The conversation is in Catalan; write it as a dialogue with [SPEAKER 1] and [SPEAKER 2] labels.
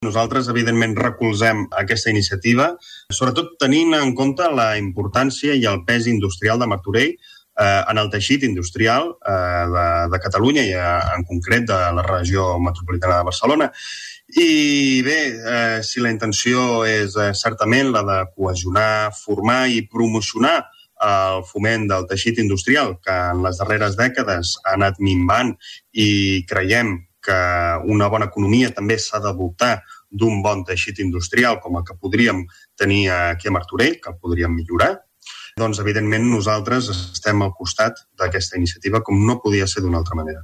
[SPEAKER 1] Nosaltres, evidentment, recolzem aquesta iniciativa, sobretot tenint en compte la importància i el pes industrial de Martorell en el teixit industrial de Catalunya i en concret de la regió metropolitana de Barcelona. I bé, si la intenció és certament la de cohesionar, formar i promocionar el foment del teixit industrial, que en les darreres dècades ha anat minvant i creiem que una bona economia també s'ha de voltar d'un bon teixit industrial com el que podríem tenir aquí a Martorell, que el podríem millorar, doncs evidentment nosaltres estem al costat d'aquesta iniciativa com no podia ser d'una altra manera.